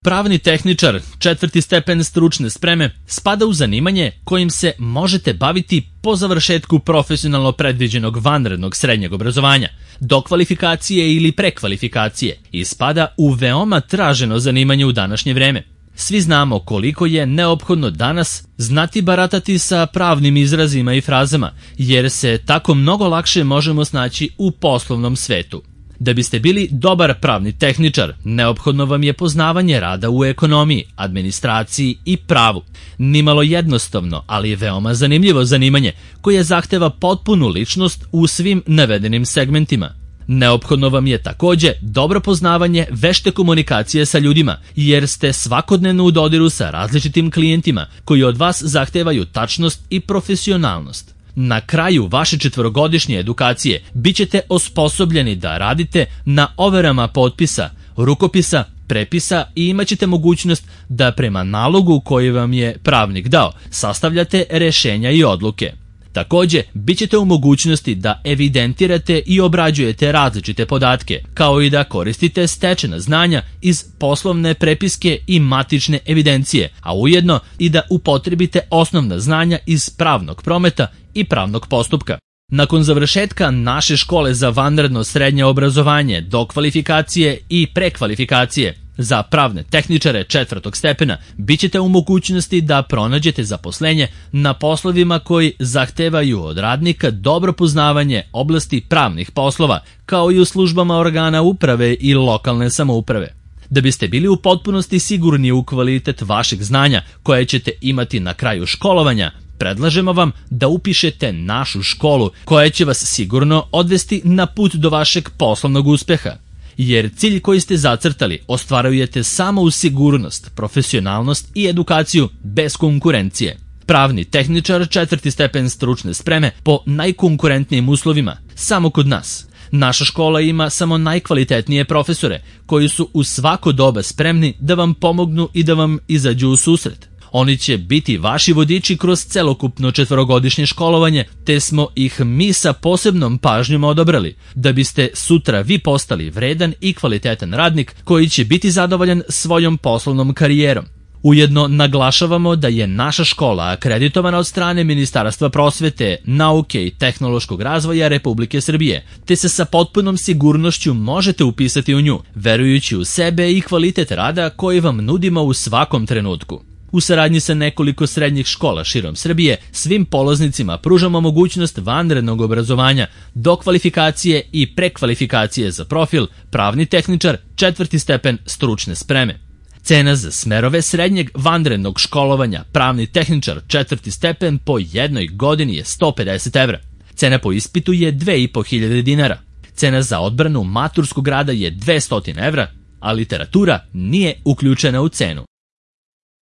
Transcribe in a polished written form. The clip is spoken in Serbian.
Pravni tehničar, 4. stepen stručne spreme, spada u zanimanje kojim se možete baviti po završetku profesionalno predviđenog vanrednog srednjeg obrazovanja, dokvalifikacije ili prekvalifikacije i spada u veoma traženo zanimanje u današnje vreme. Svi znamo koliko je neophodno danas znati baratati sa pravnim izrazima i frazama, jer se tako mnogo lakše možemo snaći u poslovnom svetu. Da biste bili dobar pravni tehničar, neophodno vam je poznavanje rada u ekonomiji, administraciji i pravu. Nimalo jednostavno, ali je veoma zanimljivo zanimanje koje zahteva potpunu ličnost u svim navedenim segmentima. Neophodno vam je takođe dobro poznavanje vešte komunikacije sa ljudima, jer ste svakodnevno u dodiru sa različitim klijentima koji od vas zahtevaju tačnost i profesionalnost. Na kraju vaše 4-godišnje edukacije bit ćete osposobljeni da radite na overama potpisa, rukopisa, prepisa i imat ćete mogućnost da prema nalogu koji vam je pravnik dao sastavljate rešenja i odluke. Takođe, bit ćete u mogućnosti da evidentirate i obrađujete različite podatke, kao i da koristite stečena znanja iz poslovne prepiske i matične evidencije, a ujedno i da upotrebite osnovna znanja iz pravnog prometa i pravnog postupka. Nakon završetka naše škole za vanredno srednje obrazovanje, dokvalifikacije i prekvalifikacije, za pravne tehničare 4. stepena bit ćete u mogućnosti da pronađete zaposlenje na poslovima koji zahtevaju od radnika dobro poznavanje oblasti pravnih poslova, kao i u službama organa uprave i lokalne samouprave. Da biste bili u potpunosti sigurni u kvalitet vašeg znanja koje ćete imati na kraju školovanja, predlažemo vam da upišete našu školu koja će vas sigurno odvesti na put do vašeg poslovnog uspeha. Jer cilj koji ste zacrtali ostvarujete samo uz sigurnost, profesionalnost i edukaciju bez konkurencije. Pravni tehničar 4. stepen stručne spreme po najkonkurentnijim uslovima, samo kod nas. Naša škola ima samo najkvalitetnije profesore koji su u svako doba spremni da vam pomognu i da vam izađu u susret. Oni će biti vaši vodiči kroz celokupno 4-godišnje školovanje, te smo ih mi sa posebnom pažnjom odabrali, da biste sutra vi postali vredan i kvalitetan radnik koji će biti zadovoljan svojom poslovnom karijerom. Ujedno naglašavamo da je naša škola akreditovana od strane Ministarstva prosvete, nauke i tehnološkog razvoja Republike Srbije, te se sa potpunom sigurnošću možete upisati u nju, verujući u sebe i kvalitet rada koji vam nudimo u svakom trenutku. U saradnji sa nekoliko srednjih škola širom Srbije, svim polaznicima pružamo mogućnost vanrednog obrazovanja, dokvalifikacije i prekvalifikacije za profil pravni tehničar 4. stepen stručne spreme. Cena za smerove srednjeg vanrednog školovanja pravni tehničar 4. stepen po jednoj godini je 150 evra. Cena po ispitu je 2500 dinara. Cena za odbranu maturskog rada je 200 evra, a literatura nije uključena u cenu.